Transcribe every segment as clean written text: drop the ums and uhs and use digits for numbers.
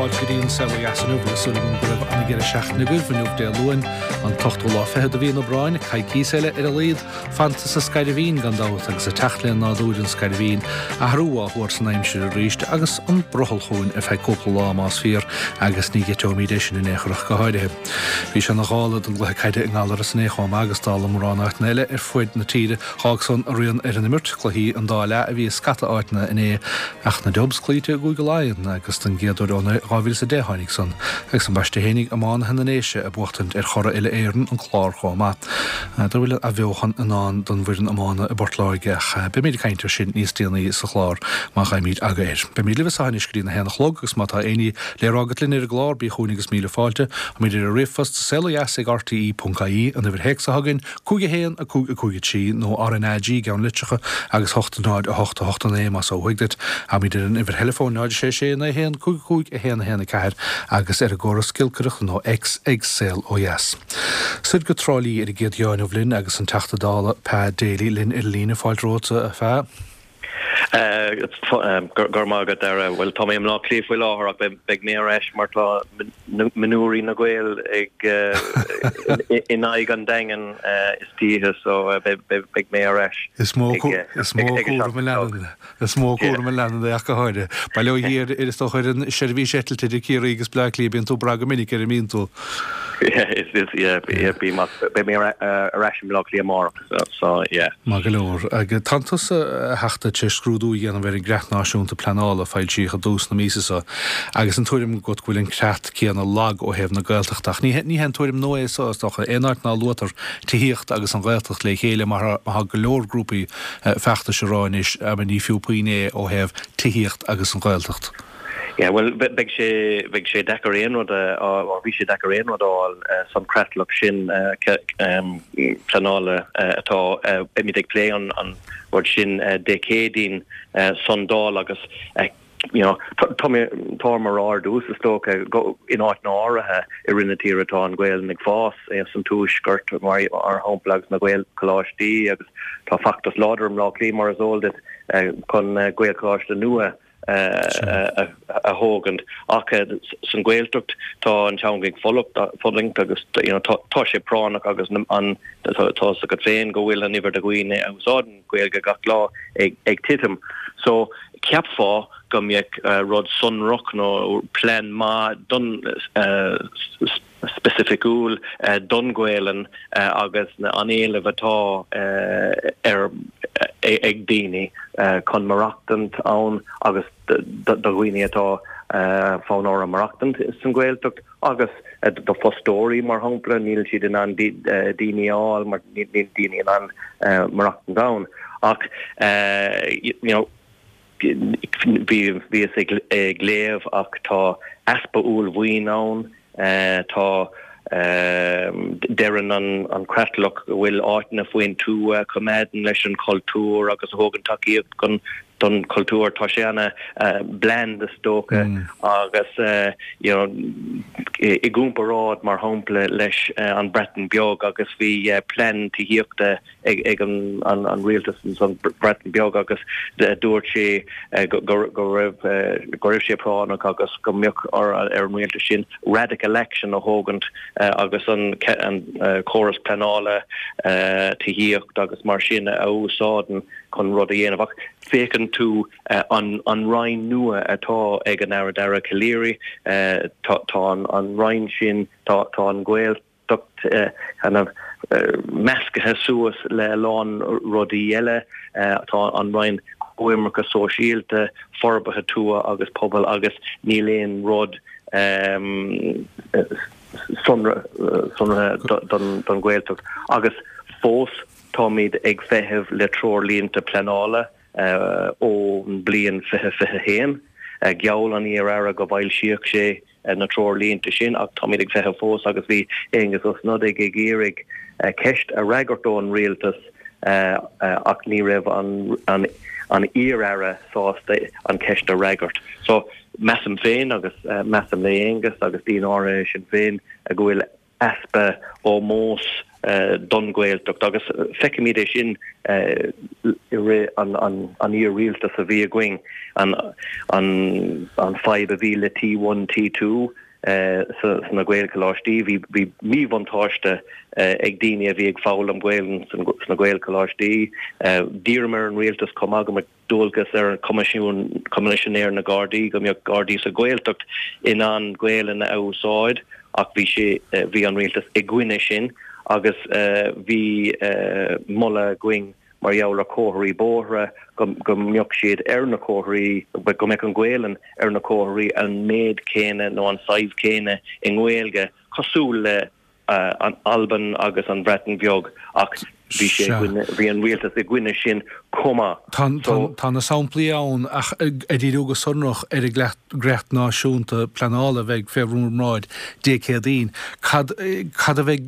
fáilte go dtí an Saol Ó Dheas inniu agus súil agam go raibh an-deireadh seachtaine agaibh inniu Dé Luain, an t-ochtú lá fichead de mhí an Aibreáin, coicíos eile ar a laghad fanta sa Scairbhín gan dabht agus ag teacht le nádúr an Scairbhín, athrú á thuar san aimsir arís agus an brothall chugainn ar feadh cúpla lá más fíor agus ní eiteoimid é sin in aon chor ach go háirithe. Bhí sé ina ghála don gcluiche caide i nGallaras inné chomh maith agus dála mórán áiteanna eile ar fuaid na tíre D'fhág san a rian ar an imirt, cluichí an dá leath a bhí i scata áiteanna inné, ach na Dubs cloíte i gCúige Laighean agus don gcéad uair ó 2010 tháinig san, agus ambaiste fhéinig iománaithe na nDéise ag buachtaint ar churaidh uile-Éireann, an Clár chomh maith. N'fheadar an bhfuil athbheochan i ndán don bhfoireann iomána i bPort Láirge ach beimid ag caint air sin níos déanaí sa chlár má gheibhimid aga air. Beimid libh as seo anois go dtí na haon a chlog agus má tá éinní le rá agat linn ar an gclár bí chugainn agus míle fáilte. Táimid ar an ríomhphost saolodheas ag rte.ie, an uimhir théacs atá againn, 5 1 5 5 3 nó RnaG i gceann litreacha agus 8 0 8 8 9 más ó thuaidh duit. Táimid ar an uimhir theileafóin 0 6 6 9 1 5 5 1 1 4 agus ar an gcóras giolcaireachta nó X ag Saol Ó Dheas. Soir go Trá Lí ar an gcéad gheábh inniu linn agus an Teachta Dála Pa Daly linn ar an líne. Fáilte romhat a Pha. Go raibh maith agat, Dara. Bhuel, tá mé i mBleá Cliath faoi láthair ach beidh mé ar ais mar tá mionúirí na Gaeil ag in aghaidh an Daingin istoíche so beidh mé ar ais. Is mó cúram a leanann is mó cúram a leanann é ach go háirithe. Bail ó Dhia ar is dócha ar an seirbhís eitilte idir Ciarraí agus Bleá Cliath bíonn tú ag brath go minic air an mbíonn tú? Yeah, is yeah, bím ach beidh mé ar ais i mBleá Cliath amárach. So, yeah. Maith go leor. Agus tánn tusa, a Theachta, tar éis scrúdú a dhéanamh ar an gCreat Náisiúnta Pleanála a foilsíodh i dtús na míosa seo, agus an tuairim agat go bhfuil an creat céanna lag ó thaobh na Gaeltachta. Ach ní haon tuairim nua é so, is dócha. Aon áit ná luaitear tithíocht agus an Ghaeltacht le chéile, mar atá go leor grúpaí feachtais a rá anois, ní fiú puinn é ó thaobh tithíocht agus an Ghaeltacht. Yeah, bhuel, beidh sé, bheadh sé deacair aon rud a, or bhí sé deacair aon rud a fháil san creatlach sin pleanála atá, beimid ag plé an rud sin Dé Céadaoin san Dáil agus you know, tá mé, tá orm a rá ar dtús is dócha, go, in áiteanna áirithe i rith na tíre tá an Ghaelainn ag fás, san Tuaisceart mar shampla agus na Gaelcholáistí agus tá feachtas láidir i mBleá Cliath mar is eol duit chun Gaelcholáiste nua a thógaint. Ach san Ghaeltacht tá an teanga ag fulaingt agus you know tá sé práinneach agus an tá fhios agat féin go bhfuil an uimhir de dhaoine a úsáideann Gaeilge gach lá ag titim. So cheapfá go mbeadh rud sonrach nó plean maith don specificiúil don Ghaelainn agus an éileamh atá ar ag daoine chun maireachtaint ann agus do dhaoine atá fonn orthu maireachtaint san Ghaeltacht agus do fostóirí mar shampla, níl siad in ann daoine a fháil mar níl daoine in ann maireachtaint ann ach you know Bhíos ag léamh ach tá easpa uaillmhian ann. Tá, deireann an creatlach go bhfuil áiteanna faoin tuath a choimeádann leis an chultúr agus a thugann tacaíocht don chultúr. Tá sé ana bland is dócha agus you know i gcomparáid mar shampla leis an Breatain Beag agus bhí plean tithíochta ag an rialtas san Bhreatain Bheag agus dúirt sé go raibh go raibh sé práinneach agus go mbeadh ar an rialtas sin radical action a thógaint agus an córas pleanála tithíocht agus mar sin a úsáideann chun rud a dhéanamh. Ach féachann tú an an roinn nua atá ag an Aire Dara Calleary, tá an roinn sin, tá an Ghael. tacht kind of meascaithe suas le a lán rudaí eile. Tá an Roinn Coimirce Sóisialta, Forbartha Tuaithe agus Pobail agus níl aon rud sonraithe don Ghaeltacht. Agus fós táimid ag feitheamh le treoirlínte pleanála ón bliain 2021. Gheall an iar-aire go bhfoilsíodh sé na treoirlínte sin ach táimid ag feitheamh fós agus bhí Aengus Ó Snodaigh ag iarraidh ceist a fhreagairt ón rialtas ach ní raibh an an iar-aire sásta an ceist a fhreagairt. So measaim féin agus measaim le Aengus agus daoine áirithe i Sinn Féin go bhfuil. easpa ómós don Ghaeltacht agus feicimid é sin i rith an iar-rialtas a bhí againn, an fadhb a bhí le T1, T2 sna Gaelcholáistí. Bhí míbhuntáiste ag daoine a bhí ag foghlaim Gaelainn sna Gaelcholáistí. D'iarramar ar an rialtas chomh maith go mbeadh dualgas ar an Choimisiún, Coimisinéir na Gardaí, go mbeadh Gardaí sa Ghaeltacht in ann Gaelainn a úsáid ach bhí sé, bhí an rialtas i gcoinne sin agus bhí moladh againn mar gheall ar chomharthaí bóithre go go mbeadh siad ar na comharthaí, go mbeadh an Ghaelainn ar na comharthaí an méid céanna nó an saghas céanna i nGaeilge cosúil le an Albain agus an Bhreatain Bheag ach bhí sé i gcoinne, bhí an rialtas i gcoinne sin chomh maith. Tá, tá na samplaí ann ach ag díriú go sonrach ar an gCreat Náisiúnta Pleanála a bheidh fé bhur mbráid Dé Céadaoin, cad, cad a bheidh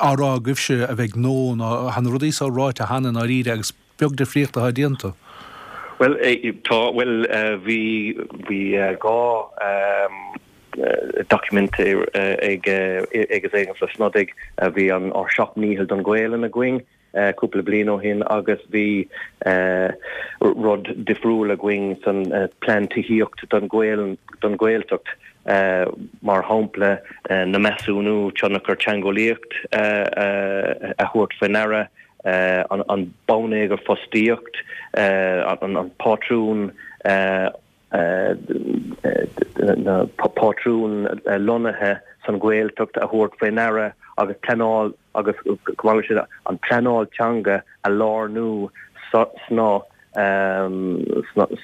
á rá agaibhse a bheidh nua nó tá na rudaí so ráite cheana i ndáiríre agus beag difríocht atá déanta? Bhuel, tá, bhuel, bhí, bhí 2 doiciméad ag ag Aengus Ó Snodaigh, bhí an ár seacht ndícheall don Ghaelainn againn cúpla bliain ó shin agus bhí rud difriúil againn san plean tithíocht don Ghaelainn, don Ghaeltacht, mar shampla na measúnú tionchar teangeolaíocht a thabhairt faoi ndeara. an bonneagar fostaíocht, an pátrún na pátrún lonnaithe san Ghaeltacht a thabhairt faoi ndeara agus pleanáil agus chomh maith leis sin an pleanáil teanga a lárnú sna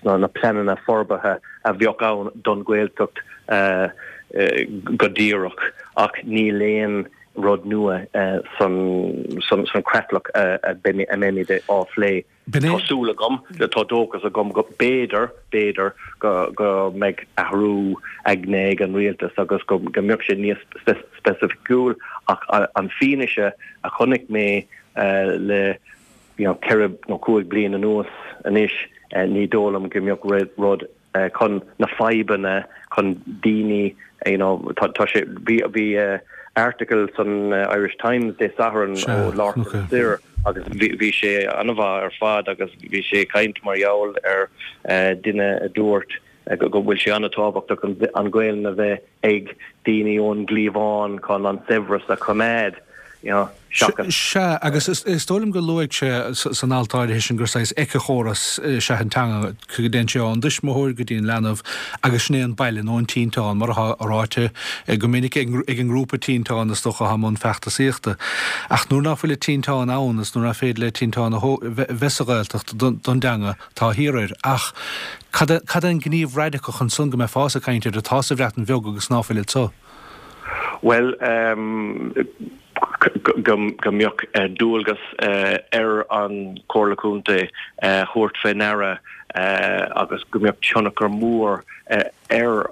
sna pleananna forbartha a bheadh ann don Ghaeltacht go díreach ach níl aon rud nua san chreatlach a mbeimid á phlé. Tá súil agam, tá dóchas agam go b'fhéidir, b'fhéidir go mbeidh athrú aigne ag an rialtas agus go mbeadh sé níos speisificiúil ach an fianaise a chonaic mé le 4 nó 5 bliain anuas anois, ní dóigh liom go mbeadh rud chun na fadhbanna chun daoine you know tá tá sé bhí bhí article san Irish Times Dé Sathairn ó Lorcan Sirr agus bhí bhí sé an-mhaith ar fad agus bhí sé ag caint mar gheall ar duine a dúirt go bhfuil sé an-tábhachtach an an Ghaelainn a bheith ag daoine ón gcliabhán chun an saibhreas a choimeád, you know, seachas. Sea, agus is dóigh liom gur luaigh sé san alt áirithe sin gur saghas éiceachóras is ea an teanga, go dtéann sé ón dtuismitheoir go dtí an leanbh agus sin é an baile nó an tinteán, mar atá ráite go minic ag an ngrúpa tinteán is dócha atá i mbun feachtasaíochta. Ach nuair ná fuil an tinteán ann is nuair nach féidir le tinteán a bheith sa Ghaeltacht don dteanga, Tá thiar air. Ach cad é, cad é an gníomh radacach ansan go mbeifeása ag caint air atá sa Bhreatain Bheag agus ná fuil anso? Bhuel, go, go mbeadh dualgas ar an Chomhairle Contae thabhairt fé ndeara agus go mbeadh tionchar mór ar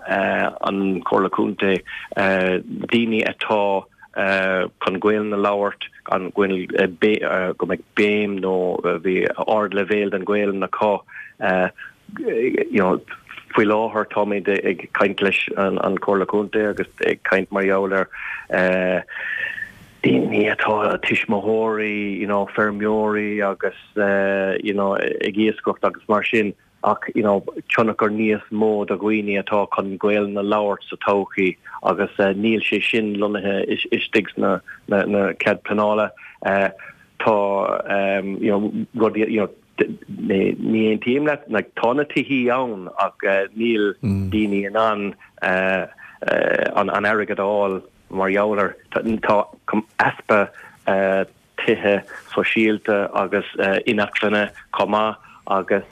an Chomhairle Contae daoine atá chun Gaelainn a labhairt, an go go mbeidh béim nó bhí ardleibhéal den Ghaelainn acu. You know, faoi láthair táimid ag caint leis an Chomhairle Contae agus ag caint mar gheall ar daoine atá tuismitheoirí, you know, feirmeoirí agus you know, ag iascaireacht agus mar sin. ach you know tionchar níos mó do dhaoine atá chun Gaelainn a labhairt sa todhchaí agus níl sé sin lonnaithe istigh sna na cead pleanála. Tá you know rudaí you know ní aontaím leat like tá na tithí ann ach níl daoine in ann an an airgead a fháil mar gheall air. Tá easpa tithe sóisialta agus inacmhainne chomh maith agus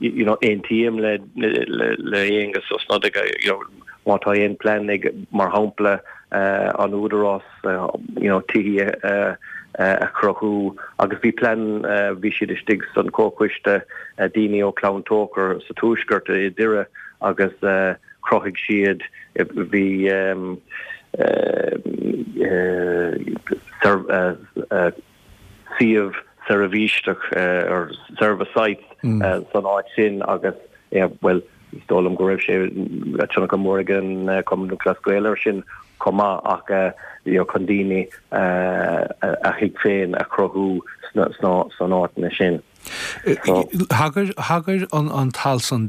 you know aontaím le le Aengus Ó Snodaigh you know má tá aon plean ag mar shampla an Údarás you know tithí a a chruthú agus bhí plean bhí siad istigh san comhchoiste daoine ó Chlann Tóchair sa Tuaisceart i Doire agus chruthaigh siad bhí suíomh seirbhíseach or service sites san áit sin agus bhuel. Is dóigh liom go raibh sé tionchar mór ag an Cumann Lúthchleas Gael air sin chomh maith ach you know chun daoine a thigh féin a chruthú sna san áiteanna sin. Thagair thagair an t-alt san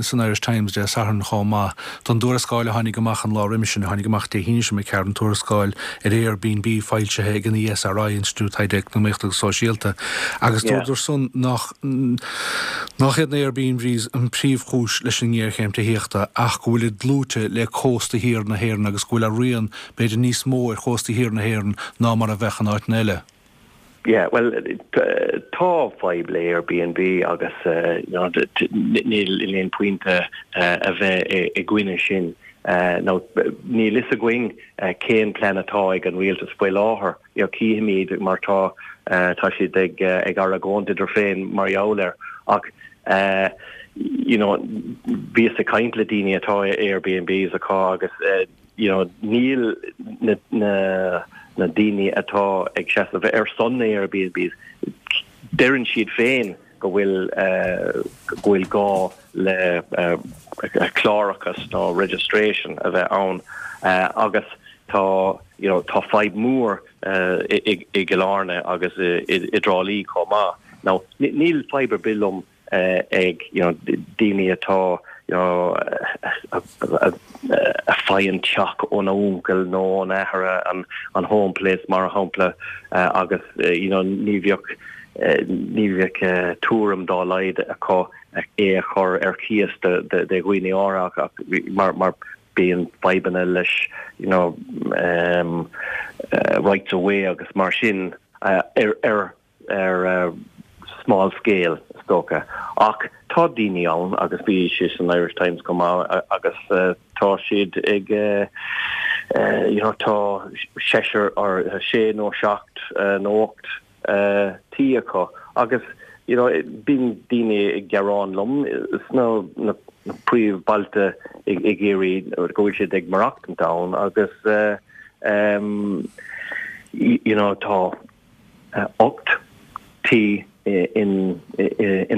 san Irish Times Dé Sathairn chomh maith don dtuarascáil a tháinig amach an lá roimis sin, a tháinig amach Dé hAoine seo imigh thart, an tuarascáil ar Airbnb foilsithe ag an ESRI, Institiúid Taighde Eacnamaíochta agus Sóisialta, agus dúradar san nach nach iad na Airbnbs an príomhchúis leis an ngéarchéim tithíochta ach go bhfuilid dlúite le cósta thiar na hÉireann agus go bhfuil a rian b'fhéidir níos mó ar chósta thiar na hÉireann ná mar a bheadh in áiteanna eile. Yeah, bhuel, tá fadhb le Airbnb agus you know níl aon pointe a bheith i gcoinne sin. Now níl fhios againn cén plean atá ag an rialtas faoi láthair, you know cífimid mar tá tá siad ag ag argóint idir féin mar gheall air ach you know bhíos ag caint le daoine atá Airbnbs acu agus you know níl na na na daoine atá ag seasamh ar son na Airbnbs deireann siad féin go bhfuil go bhfuil gá le clárachas nó registration a bheith ann agus tá you know tá fadhb mhór i i gCill Airne agus i i dTrá Lí chomh maith. Now níl fadhb ar bith liom ag you know daoine atá you know a faigheann teach óna uncail nó óna athair an an home place mar shampla agus you know ní bheadh ní bheadh tuairim dá laghad acu é a chur ar cíos do dhaoine áirithe ach mar mar bíonn fadhbanna leis you know um, rights of way agus mar sin ar ar ar small scale is dócha. Ach tá daoine ann agus bhí sé san Irish Times chomh maith agus tá siad ag you know tá seisear or sé nó seacht nó ocht tí acu agus you know bíonn daoine ag gearán liom sna na príomhbhailte i gCiarraí go bhfuil siad ag maireachtaint ann agus you know tá 8 tí in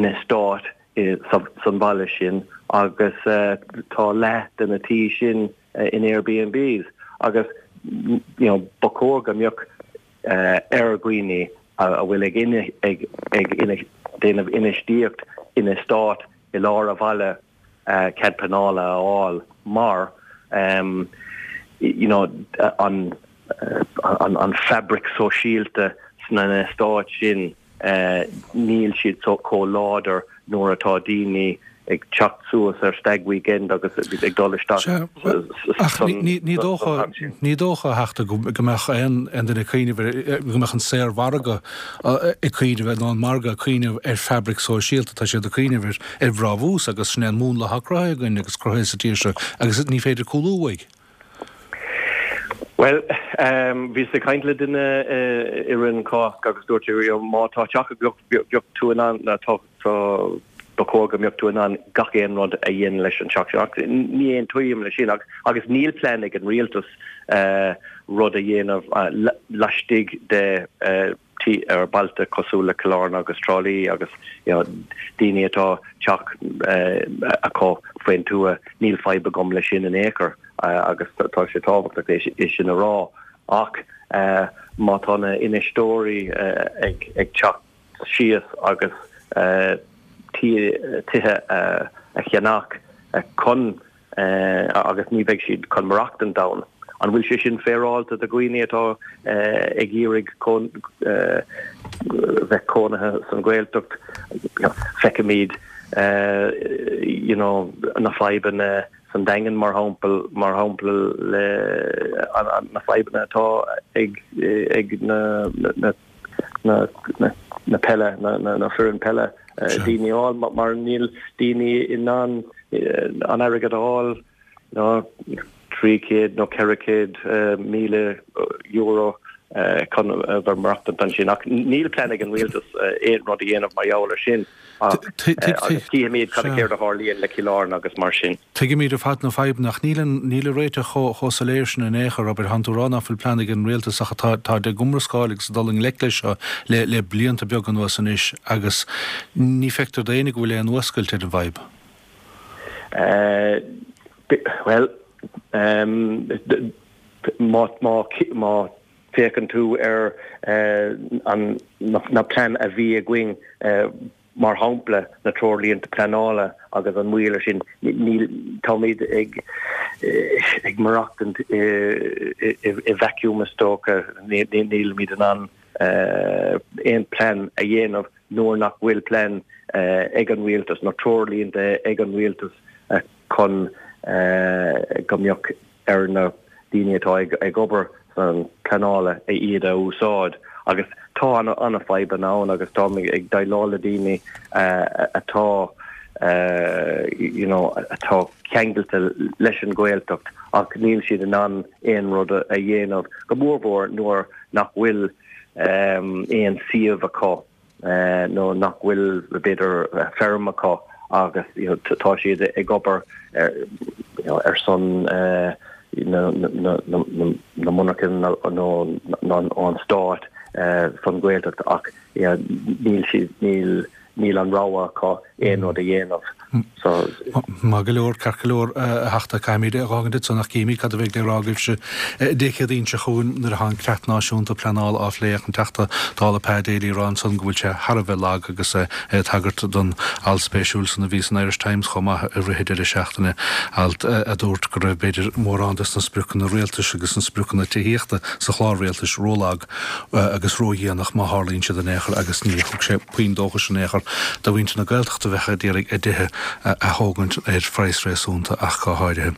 eastát san bhaile sin agus tá leath de na tí sin in Airbnbs agus you know ba chóir go mbeadh ar dhaoine a bhfuil ag ag ag déanamh infheistíocht in eastát i lár a bhaile cead pleanála a fháil mar you know an an fabric sóisialta sna eastáit sin níl siad chomh láidir nuair atá daoine ag teacht suas ar stag weekend agus ag dul isteach san Ach ní dócha ní dócha a Theachta go mbeadh aon duine ag cuimhneamh ar go mbeadh an saormhargadh ag cuimhneamh nó an margadh ag cuimhneamh ar fabric sóisialta tá siad ag cuimhneamh ar ar bhrabús agus sin é an múnla atá cruthaithe againn agus cruthaithe sa tír seo agus ní féidir cúlú uaidh. Bhuel, bhíos ag caint le duine i rith an Cásc agus dúirt sé, má tá teach agat, bheadh tú in ann, tá, ba chóir go mbeadh tú in ann gach aon rud a dhéanamh leis an teach sin. Ach ní aontaím leis sin agus níl plean ag an rialtas rud a dhéanamh laistigh de tí ar bailte cosúil le Cill Airne agus Trá Lí agus you know daoine atá teach acu faoin tuath, níl fadhb agam leis sin in aon chor agus tá sé tábhachtach é sin a rá ach má tá na infheisteoirí ag ag teacht síos agus tithe a cheannach chun agus ní bheidh siad chun maireachtaint ann. An bhfuil sé sin féaráilte do dhaoine atá ag iarraidh bheith cónaithe san Ghaeltacht? Feicimid you know na fadhbanna san Daingean mar shampla, mar shampla le na fadhbanna atá ag ag na na na na peile na na foireann peile daoine a fháil mar níl daoine in ann an airgead a fháil ná 300 nó 400,000 euro chun a bheith maireachtaint ansin. Ach níl plean ag an rialtas aon rud a dhéanamh mar gheall ar sin ach agus cífimid cad céard a tharlaíonn le Cill Airne agus mar sin. Tuigimid ar fad na fadhbanna ach níl an níl an réiteach chomh chomh soiléir sin in aon chor, abair, tánn tú ag rá nach bhfuil plean ag an rialtas ach tá táid ag iomrascáil agus ag dul i ngleic leis seo le le blianta beaga anuas anois agus ní feictear d'éinne go bhfuil aon fhuascailt ar an bhfadhb. Bhuel, má má féachann tú ar an na plean a bhí againn, mar shampla, na treoirlínte pleanála agus an moill ar sin, níl, táimid ag ag maireachtaint i i vacuum is dócha, nílimid in ann aon plean a dhéanamh nuair nach bhfuil plean ag an rialtas nó treoirlínte ag an rialtas chun go mbeadh ar na daoine atá ag obair san pleanála iad a úsáid agus tá an-fhadhbanna ann agus táim ag déileáil le daoine atá you know atá ceangailte leis an Ghaeltacht ach níl siad in ann aon rud a dhéanamh go mórmhór nuair nach bhfuil aon suíomh acu. nó nach bhfuil, b'fhéidir, feirm acu agus tá siad ag obair ar son na monarchan nó an stáit don Ghaeltacht ach níl siad, níl. níl an rogha acu aon rud a dhéanamh. So. Maith go leor, ceart go leor, a Theachta, caithfimid é a dh'fhágaint ansan ach cífimid cad a bheidh le rá agaibhse Dé Céadaoin seo chugainn nuair atá an Creat Náisiúnta Pleanála á phlé ach an Teachta Dála Pa Daly ag rá ansan go bhfuil sé thar a bheith lag agus é ag tagairt don alt spéisiúil san a bhí san Irish Times chomh maith i rith an deireadh seachtaine, alt a dúirt go raibh b'fhéidir mórán des na spriocanna rialtais agus na spriocanna tithíochta sa chlár rialtais rólag agus ródhéanach má tharlaíonn siad in aon chor agus ní thug sé puinn dóchais in aon chor do mhuintir na Gaeltachta a bheadh ag iarraidh a dtithe a thógaint ar phraghas réasúnta ach go háirithe.